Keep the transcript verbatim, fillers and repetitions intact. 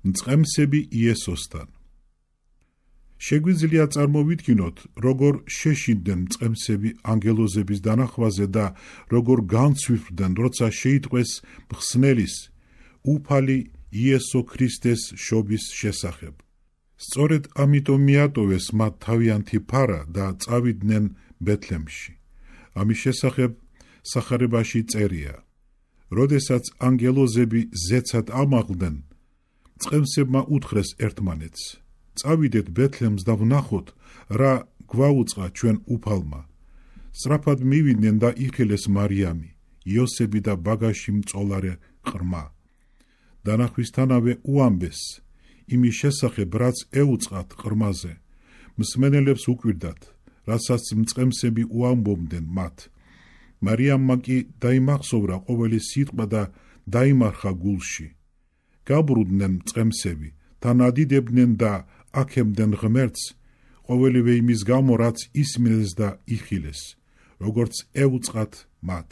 მწყემსები იესოსთან. შეგვიძლია წარმოვიდგინოთ, როგორ შეშინდნენ მწყემსები ანგელოზების დანახვაზე და როგორ განცვიფრდნენ, როცა შეიტყვეს მხსნელის, უფალი იესო ქრისტეს შობის შესახებ. სწორედ ამიტომ მიატოვეს მათ თავიანთი ფარა და წავიდნენ ბეთლემში. ამის შესახებ სახარებაში წერია: როდესაც ანგელოზები ზეცად ამაღლდნენ, მწყემსებმა უთხრეს ერთმანეთს: წავიდეთ ბეთლემს და ვნახოთ, რა გვაუწყა ჩვენ უფალმა. სწრაფად მივიდნენ და იხილეს მარიამი, იოსები და ბაგაში მწოლარე ყრმა. დანახვისთანავე უამბეს იმის შესახებ, რაც ეუწყათ ყრმაზე. მსმენელებს უკვირდათ, რასაც მწყემსები უამბობდნენ მათ. მარიამმა კი დაიმახსოვრა ყოველი სიტყვა და დაიმარხა გულში. გაბრუნდნენ მწყემსები, თან ადიდებდნენ და აქემდნენ ღმერთს, ყოველივე იმის გამო, რაც ისმინეს და იხილეს, როგორც ეუწყათ მათ.